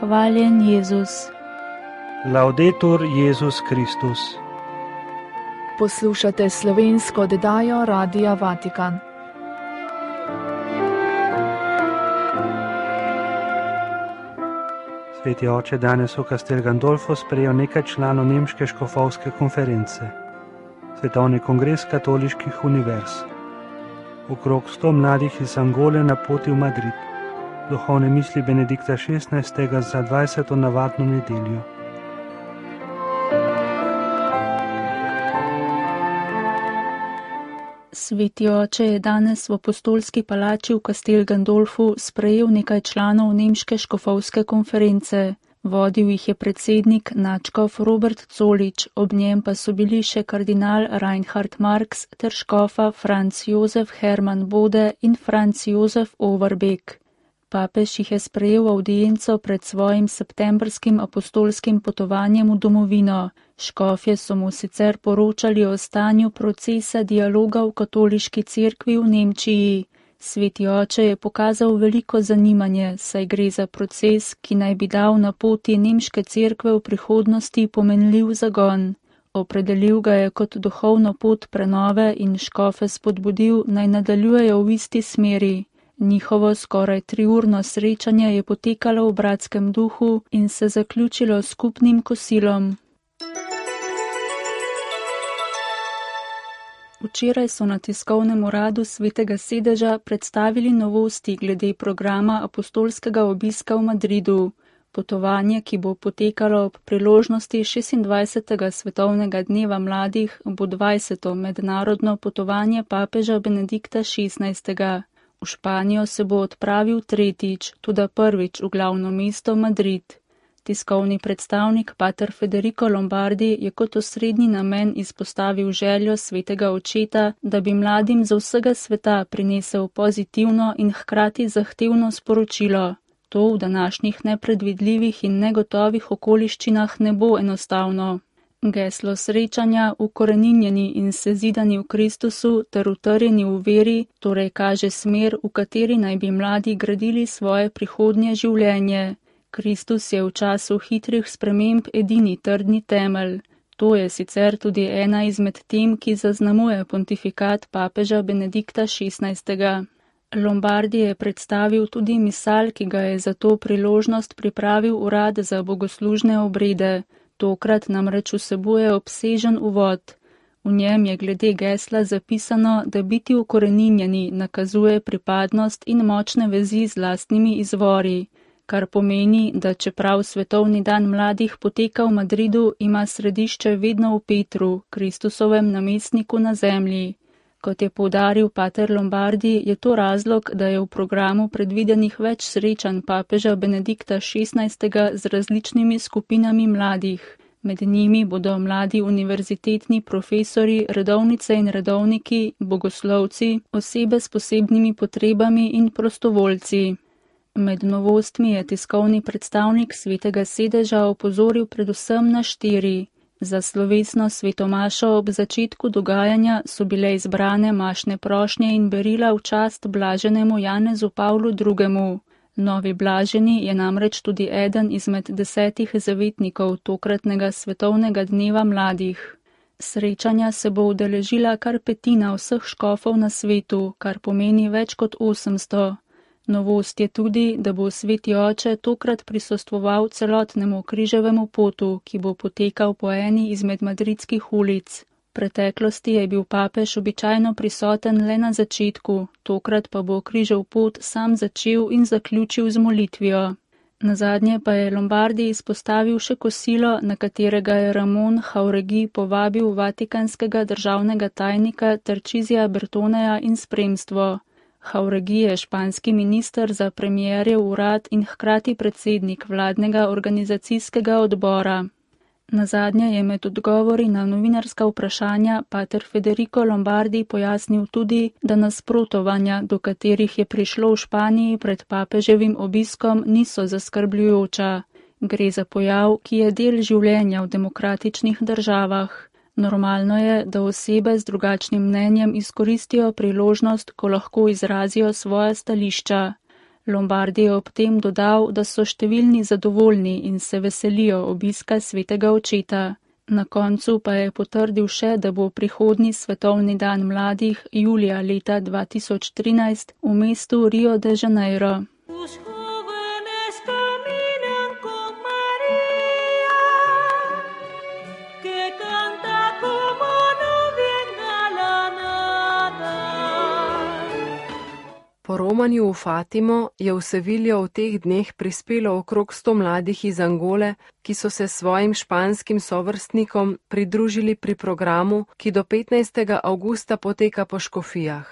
Hvaljen Jezus. Laudetur Jezus Kristus. Poslušate slovensko oddajo Radia Vatikan. Sveti oče danes v Castel Gandolfo sprejel nekaj članov Nemške škofovske konference, Svetovni kongres katoliških univerz. Okrog 100 mladih iz Angole na poti v Madrid, duhovne misli Benedikta XVI. Za 20. navadno nedeljo. Sveti oče je danes v apostolski palači v Castel Gandolfu sprejel nekaj članov Nemške škofovske konference. Vodil jih je predsednik nadškof Robert Zolič, ob njem pa so bili še kardinal Reinhard Marx ter škofa Franz Josef Hermann Bode in Franz Josef Overbeck. Papež jih je sprejel v avdienco pred svojim septembrskim apostolskim potovanjem v domovino. Škofje so mu sicer poročali o stanju procesa dialoga v katoliški cerkvi v Nemčiji. Sveti oče je pokazal veliko zanimanje, saj gre za proces, ki naj bi dal na poti nemške cerkve v prihodnosti pomenljiv zagon. Opredelil ga je kot duhovno pot prenove in škofe spodbudil, naj nadaljujejo v isti smeri. Njihovo skoraj 3-urno srečanje je potekalo v bratskem duhu in se zaključilo s skupnim kosilom. Včeraj so na tiskovnem uradu Svetega sedeža predstavili novosti glede programa apostolskega obiska v Madridu. Potovanje, ki bo potekalo ob priložnosti 26. svetovnega dneva mladih, bo 20. mednarodno potovanje papeža Benedikta XVI. V Španijo se bo odpravil tretjič, tudi prvič v glavno mesto Madrid. Tiskovni predstavnik pater Federico Lombardi je kot osrednji namen izpostavil željo svetega očeta, da bi mladim z vsega sveta prinesel pozitivno in hkrati zahtevno sporočilo. To v današnjih nepredvidljivih in negotovih okoliščinah ne bo enostavno. Geslo srečanja, ukoreninjeni in sezidani v Kristusu ter utrjeni v veri, torej kaže smer, v kateri naj bi mladi gradili svoje prihodnje življenje. Kristus je v času hitrih sprememb edini trdni temelj. To je sicer tudi ena izmed tem, ki zaznamuje pontifikat papeža Benedikta XVI. Lombardi je predstavil tudi misal, ki ga je za to priložnost pripravil urad za bogoslužne obrede. Tokrat namreč vsebuje obsežen uvod. V njem je glede gesla zapisano, da biti ukoreninjeni nakazuje pripadnost in močne vezi z lastnimi izvori, kar pomeni, da čeprav svetovni dan mladih poteka v Madridu, ima središče vedno v Petru, Kristusovem namestniku na zemlji. Kot je poudaril pater Lombardi, je to razlog, da je v programu predvidenih več srečanj papeža Benedikta XVI. Z različnimi skupinami mladih. Med njimi bodo mladi univerzitetni profesori, redovnice in redovniki, bogoslovci, osebe s posebnimi potrebami in prostovoljci. Med novostmi je tiskovni predstavnik Svetega sedeža opozoril predvsem na 4. Za slovesno svetomašo ob začetku dogajanja so bile izbrane mašne prošnje in berila v čast blaženemu Janezu Pavlu II. Novi blaženi je namreč tudi eden izmed 10 zavetnikov tokratnega svetovnega dneva mladih. Srečanja se bo udeležila kar 1/5 vseh škofov na svetu, kar pomeni več kot 800. Novost je tudi, da bo sveti oče tokrat prisostvoval celotnemu križevemu potu, ki bo potekal po eni izmed madridskih ulic. V preteklosti je bil papež običajno prisoten le na začetku, tokrat pa bo križev pot sam začel in zaključil z molitvijo. Nazadnje pa je Lombardi izpostavil še kosilo, na katerega je Ramon Jauregi povabil vatikanskega državnega tajnika Tarcisija Bertoneja in spremstvo. Jauregi je španski minister za premierjev urad in hkrati predsednik vladnega organizacijskega odbora. Nazadnje je med odgovori na novinarska vprašanja pater Federico Lombardi pojasnil tudi, da nasprotovanja, do katerih je prišlo v Španiji pred papeževim obiskom, niso zaskrbljujoča. Gre za pojav, ki je del življenja v demokratičnih državah. Normalno je, da osebe z drugačnim mnenjem izkoristijo priložnost, ko lahko izrazijo svoja stališča. Lombardi je ob tem dodal, da so številni zadovoljni in se veselijo obiska svetega očeta. Na koncu pa je potrdil še, da bo prihodnji svetovni dan mladih julija leta 2013 v mestu Rio de Janeiro. Po romanju v Fatimo je v Seviljo v teh dneh prispelo okrog 100 mladih iz Angole, ki so se svojim španskim sovrstnikom pridružili pri programu, ki do 15. avgusta poteka po škofijah.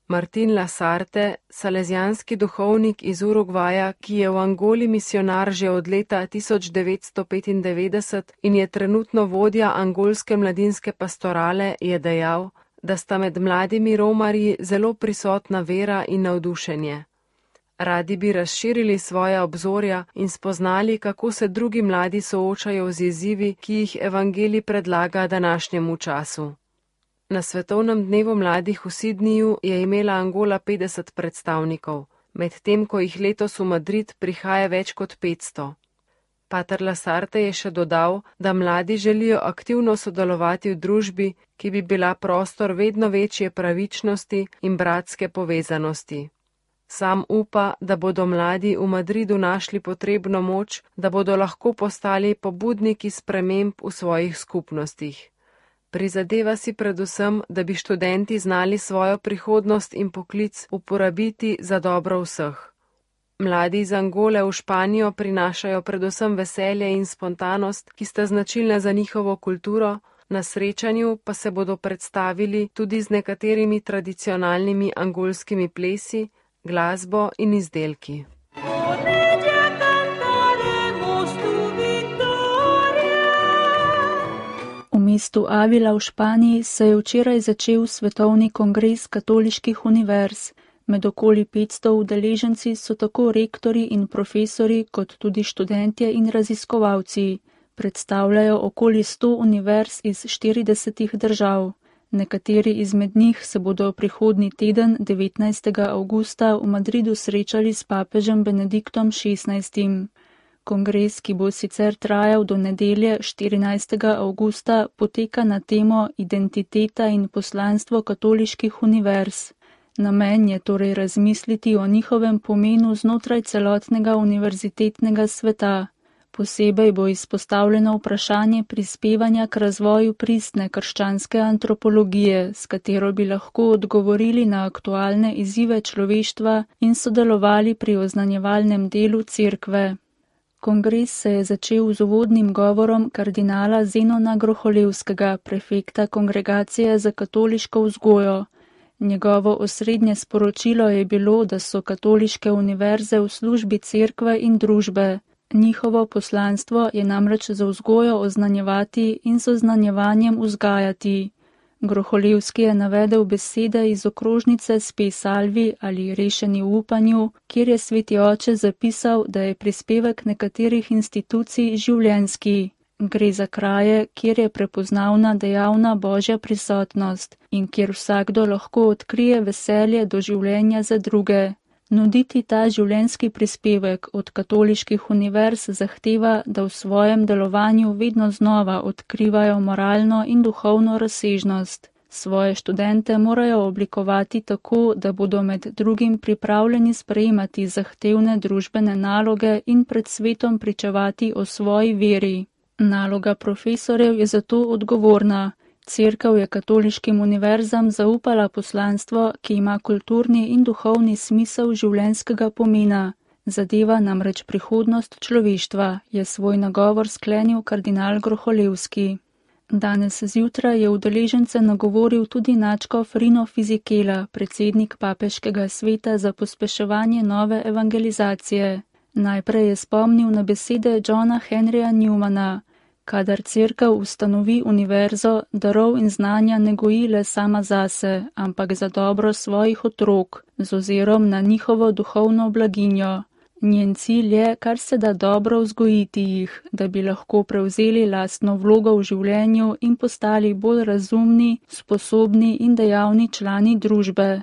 Martin Lasarte, salezijanski duhovnik iz Urugvaja, ki je v Angoli misionar že od leta 1995 in je trenutno vodja angolske mladinske pastorale, je dejal, da sta med mladimi romarji zelo prisotna vera in navdušenje. Radi bi razširili svoja obzorja in spoznali, kako se drugi mladi soočajo z izzivi, ki jih evangelij predlaga današnjemu času. Na svetovnem dnevu mladih v Sydneyju je imela Angola 50 predstavnikov, medtem ko jih letos v Madrid prihaja več kot 500. Pater Lasarte je še dodal, da mladi želijo aktivno sodelovati v družbi, ki bi bila prostor vedno večje pravičnosti in bratske povezanosti. Sam upa, da bodo mladi v Madridu našli potrebno moč, da bodo lahko postali pobudniki sprememb v svojih skupnostih. Prizadeva si predvsem, da bi študenti znali svojo prihodnost in poklic uporabiti za dobro vseh. Mladi iz Angole v Španijo prinašajo predvsem veselje in spontanost, ki sta značilna za njihovo kulturo, na srečanju pa se bodo predstavili tudi z nekaterimi tradicionalnimi angolskimi plesi, glasbo in izdelki. V mestu Avila v Španiji se je včeraj začel svetovni kongres katoliških univerz. Med okoli 500 udeleženci so tako rektorji in profesori, kot tudi študentje in raziskovalci. Predstavljajo okoli 100 univerz iz 40 držav. Nekateri izmed njih se bodo prihodnji teden 19. avgusta v Madridu srečali s papežem Benediktom XVI. Kongres, ki bo sicer trajal do nedelje 14. avgusta, poteka na temo Identiteta in poslanstvo katoliških univerz. Namen je torej razmisliti o njihovem pomenu znotraj celotnega univerzitetnega sveta. Posebej bo izpostavljeno vprašanje prispevanja k razvoju pristne krščanske antropologije, s katero bi lahko odgovorili na aktualne izzive človeštva in sodelovali pri oznanjevalnem delu cerkve. Kongres se je začel z uvodnim govorom kardinala Zenona Groholevskega, prefekta Kongregacije za katoliško vzgojo. Njegovo osrednje sporočilo je bilo, da so katoliške univerze v službi cerkve in družbe. Njihovo poslanstvo je namreč za vzgojo oznanjevati in z oznanjevanjem vzgajati. Groholevski je navedel besede iz okrožnice Spe Salvi ali Rešeni v upanju, kjer je sveti oče zapisal, da je prispevek nekaterih institucij življenjski. Gre za kraje, kjer je prepoznavna dejavna božja prisotnost in kjer vsakdo lahko odkrije veselje do življenja za druge. Nuditi ta življenjski prispevek od katoliških univerz zahteva, da v svojem delovanju vedno znova odkrivajo moralno in duhovno razsežnost. Svoje študente morajo oblikovati tako, da bodo med drugim pripravljeni sprejemati zahtevne družbene naloge in pred svetom pričevati o svoji veri. Naloga profesorjev je zato odgovorna. Cerkev je katoliškim univerzam zaupala poslanstvo, ki ima kulturni in duhovni smisel življenjskega pomena. Zadeva namreč prihodnost človeštva, je svoj nagovor sklenil kardinal Groholevski. Danes zjutraj je udeležence nagovoril tudi nadškof Rino Fizikela, predsednik papeškega sveta za pospeševanje nove evangelizacije. Najprej je spomnil na besede Johna Henryja Newmana. Kadar cerkev ustanovi univerzo, darov in znanja ne goji le sama zase, ampak za dobro svojih otrok, z ozirom na njihovo duhovno blaginjo. Njen cilj je, kar se da dobro vzgojiti jih, da bi lahko prevzeli lastno vlogo v življenju in postali bolj razumni, sposobni in dejavni člani družbe.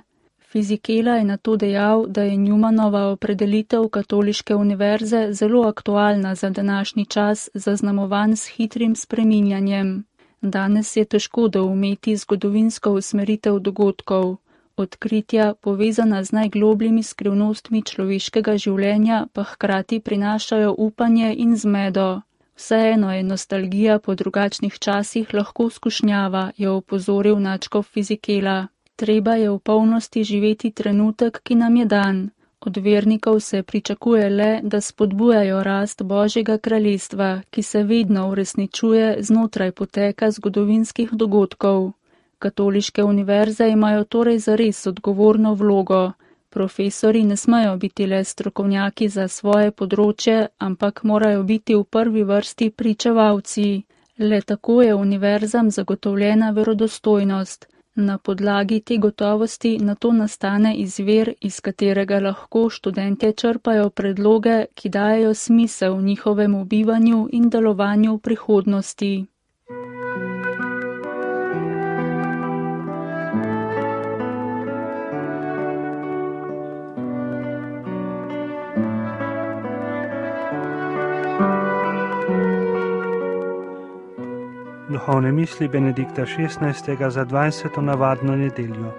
Fisichella je nato dejal, da je Newmanova opredelitev katoliške univerze zelo aktualna za današnji čas, zaznamovan s hitrim spreminjanjem. Danes je težko doumeti zgodovinsko usmeritev dogodkov. Odkritja, povezana z najglobljimi skrivnostmi človeškega življenja, pa hkrati prinašajo upanje in zmedo. Vseeno je nostalgija po drugačnih časih lahko skušnjava, je opozoril nadškof Fisichella. Treba je v polnosti živeti trenutek, ki nam je dan. Od vernikov se pričakuje le, da spodbujajo rast Božjega kraljestva, ki se vedno uresničuje znotraj poteka zgodovinskih dogodkov. Katoliške univerze imajo torej zares odgovorno vlogo. Profesorji ne smejo biti le strokovnjaki za svoje področje, ampak morajo biti v prvi vrsti pričevalci. Le tako je univerzam zagotovljena verodostojnost. Na podlagi te gotovosti nato nastane izvir, iz katerega lahko študentje črpajo predloge, ki dajejo smisel njihovemu bivanju in delovanju v prihodnosti. Duhovne misli Benedikta XVI. Za 20. navadno nedeljo.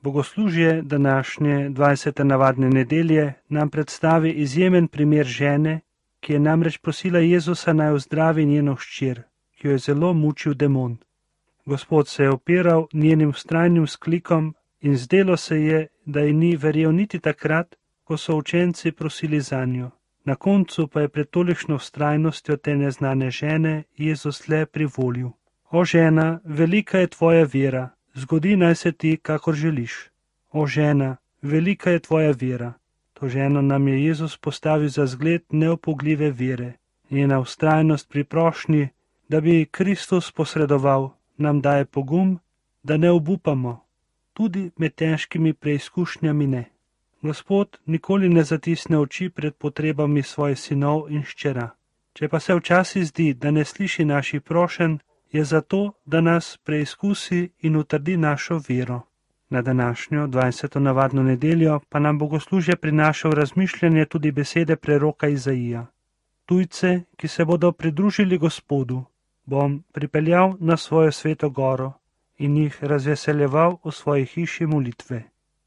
Bogoslužje današnje 20. navadne nedelje nam predstavi izjemen primer žene, ki je namreč prosila Jezusa naj ozdravi njeno hčer, ki jo je zelo mučil demon. Gospod se je opiral njenim vztrajnim vzklikom in zdelo se je, da ji ni verjel niti takrat, ko so učenci prosili zanjo. Na koncu pa je pred tolikšno vztrajnostjo te neznane žene Jezus le privolil. O žena, velika je tvoja vera, zgodi naj se ti, kakor želiš. O žena, velika je tvoja vera. To ženo nam je Jezus postavil za zgled neopogljive vere. Njena vztrajnost pri prošnji, da bi Kristus posredoval, nam daje pogum, da ne obupamo. Tudi med težkimi preizkušnjami ne. Gospod nikoli ne zatisne oči pred potrebami svojih sinov in hčera. Če pa se včasih zdi, da ne sliši naših prošenj, je zato, da nas preizkusi in utrdi našo vero. Na današnjo 20. navadno nedeljo pa nam bogoslužje prinaša v razmišljanje tudi besede preroka Izaija. Tujce, ki se bodo pridružili Gospodu, bom pripeljal na svojo sveto goro in jih razveseljeval v svoji hiši molitve.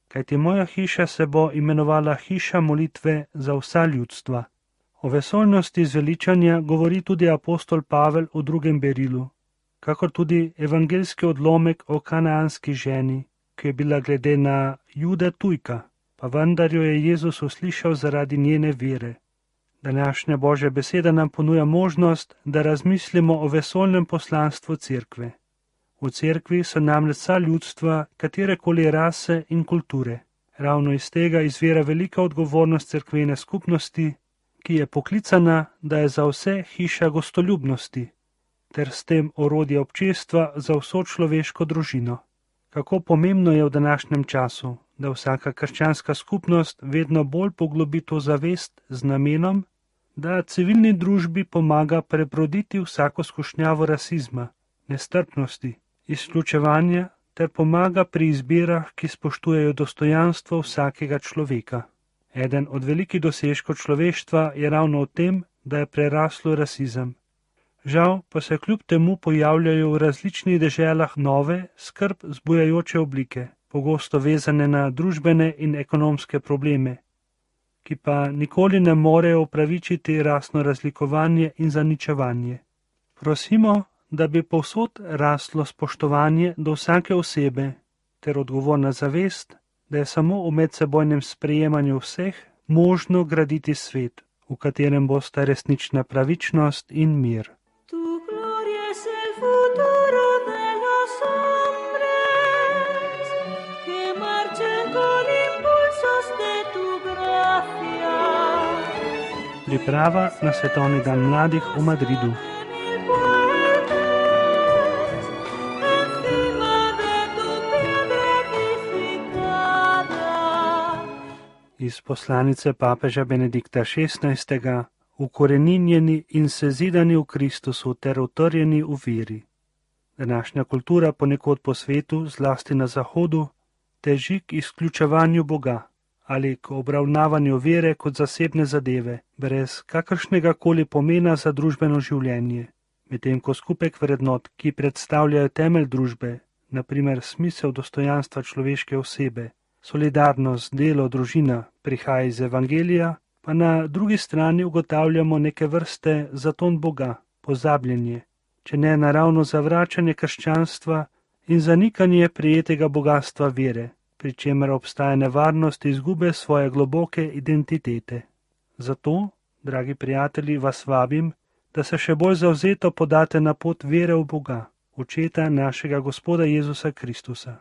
Kajti moja hiša se bo imenovala hiša molitve za vsa ljudstva. O vesoljnosti zveličanja govori tudi apostol Pavel v 2. berilu, kakor tudi evangeljski odlomek o kanaanski ženi, ki je bila glede na Jude tujka, pa vendar jo je Jezus uslišal zaradi njene vere. Današnja Božja beseda nam ponuja možnost, da razmislimo o vesoljnem poslanstvu cerkve. V cerkvi so namreč vsa ljudstva, katerekoli rase in kulture. Ravno iz tega izvira velika odgovornost cerkvene skupnosti, ki je poklicana, da je za vse hiša gostoljubnosti, ter s tem orodje občestva za vso človeško družino. Kako pomembno je v današnjem času, da vsaka krščanska skupnost vedno bolj poglobi to zavest z namenom, da civilni družbi pomaga prebroditi vsako skušnjavo rasizma, nestrpnosti, izključevanja ter pomaga pri izbirah, ki spoštujejo dostojanstvo vsakega človeka. Eden od velikih dosežkov človeštva je ravno v tem, da je preraslo rasizem. Žal pa se kljub temu pojavljajo v različnih deželah nove, skrb zbujajoče oblike, pogosto vezane na družbene in ekonomske probleme, ki pa nikoli ne morejo upravičiti rasno razlikovanje in zaničevanje. Prosimo, da bi povsod raslo spoštovanje do vsake osebe ter odgovorna zavest, da je samo v medsebojnem sprejemanju vseh možno graditi svet, v katerem bosta resnična pravičnost in mir. Priprava na svetovni dan mladih v Madridu. Iz poslanice papeža Benedikta XVI. ukoreninjeni in sezidani v Kristusu ter utrjeni v veri. Današnja kultura ponekod po svetu, zlasti na Zahodu, teži k izključevanju Boga ali k obravnavanju vere kot zasebne zadeve, brez kakršnega koli pomena za družbeno življenje, medtem ko skupek vrednot, ki predstavljajo temelj družbe, na primer smisel dostojanstva človeške osebe, solidarnost, delo, družina, prihaja iz Evangelija, pa na drugi strani ugotavljamo neke vrste zaton Boga, pozabljenje, če ne naravno zavračanje krščanstva in zanikanje prijetega bogastva vere, pri čemer obstaja nevarnost izgube svoje globoke identitete. Zato, dragi prijatelji, vas vabim, da se še bolj zavzeto podate na pot vere v Boga, Očeta našega Gospoda Jezusa Kristusa.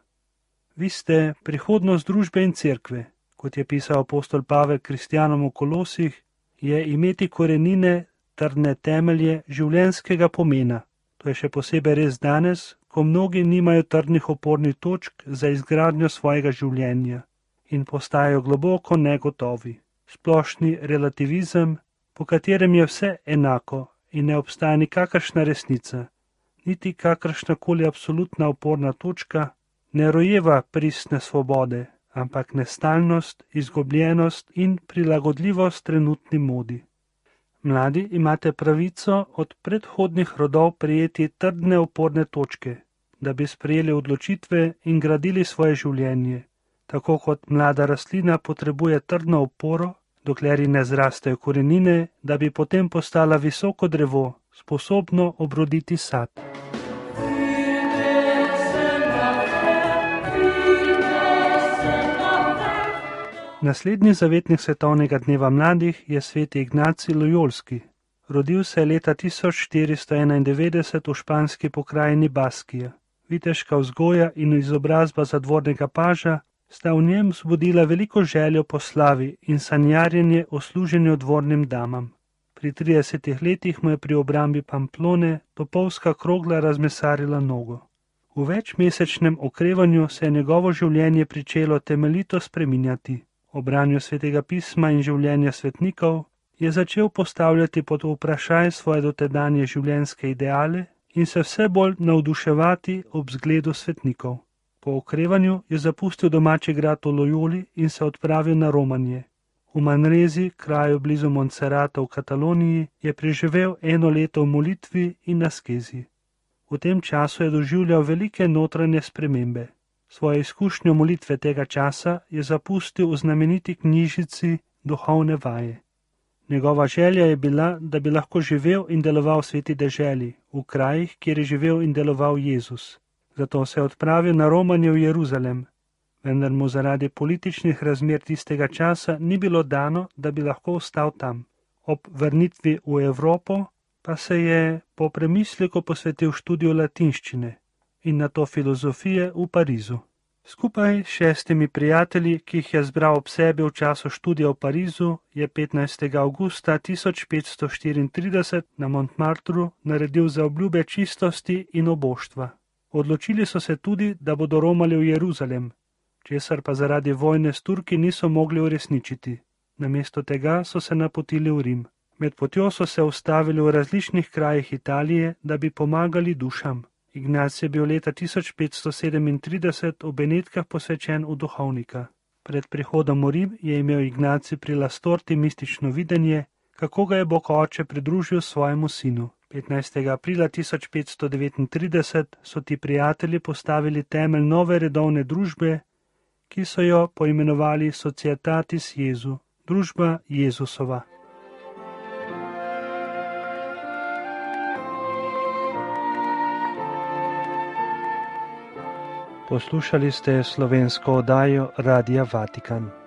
Vi ste prihodnost družbe in cerkve, kot je pisal apostol Pavel kristjanom v Kolosih, je imeti korenine, trdne temelje življenjskega pomena. To je še posebej res danes, ko mnogi nimajo trdnih opornih točk za izgradnjo svojega življenja in postajajo globoko negotovi. Splošni relativizem, po katerem je vse enako in ne obstaja nikakršna resnica, niti kakršnakoli absolutna oporna točka, ne rojeva pristne svobode, ampak nestalnost, izgubljenost in prilagodljivost trenutni modi. Mladi imate pravico od predhodnih rodov prejeti trdne oporne točke, da bi sprejeli odločitve in gradili svoje življenje, tako kot mlada rastlina potrebuje trdno oporo, dokler ji ne zrastejo korenine, da bi potem postala visoko drevo, sposobno obroditi sad. Naslednji zavetnik svetovnega dneva mladih je sveti Ignacij Lojolski. Rodil se je leta 1491 v španski pokrajini Baskija. Viteška vzgoja in izobrazba zadvornega paža sta v njem vzbudila veliko željo po slavi in sanjarjenje o služenju dvornim damam. Pri 30 letih mu je pri obrambi Pamplone topovska krogla razmesarila nogo. V večmesečnem okrevanju se je njegovo življenje pričelo temeljito spreminjati. O branju svetega pisma in življenja svetnikov je začel postavljati pod vprašaj svoje dotedanje življenjske ideale in se vse bolj navduševati ob zgledu svetnikov. Po okrevanju je zapustil domači grad v Lojoli in se odpravil na romanje. V Manrezi, kraju blizu Montserrata v Kataloniji, je preživel 1 leto v molitvi in askezi. V tem času je doživljal velike notranje spremembe. Svojo izkušnjo molitve tega časa je zapustil v znameniti knjižici Duhovne vaje. Njegova želja je bila, da bi lahko živel in deloval v sveti deželi, v krajih, kjer je živel in deloval Jezus. Zato se je odpravil na romanje v Jeruzalem, vendar mu zaradi političnih razmer tistega časa ni bilo dano, da bi lahko ostal tam. Ob vrnitvi v Evropo pa se je po premisleku posvetil študiju latinščine in nato filozofije v Parizu. Skupaj s 6 prijatelji, ki jih je zbral ob sebi v času študija v Parizu, je 15. avgusta 1534 na Montmartru naredil zaobljube čistosti in oboštva. Odločili so se tudi, da bodo romali v Jeruzalem, česar pa zaradi vojne s Turki niso mogli uresničiti. Namesto tega so se napotili v Rim. Med potjo so se ustavili v različnih krajih Italije, da bi pomagali dušam. Ignacij je bil leta 1537 v Benetkah posvečen v duhovnika. Pred prihodom v Rim je imel Ignacij pri Lastorti mistično videnje, kako ga je Bog Oče pridružil svojemu sinu. 15. aprila 1539 so ti prijatelji postavili temelj nove redovne družbe, ki so jo poimenovali Societatis Jesu, družba Jezusova. Poslušali ste slovensko oddajo Radia Vatikan.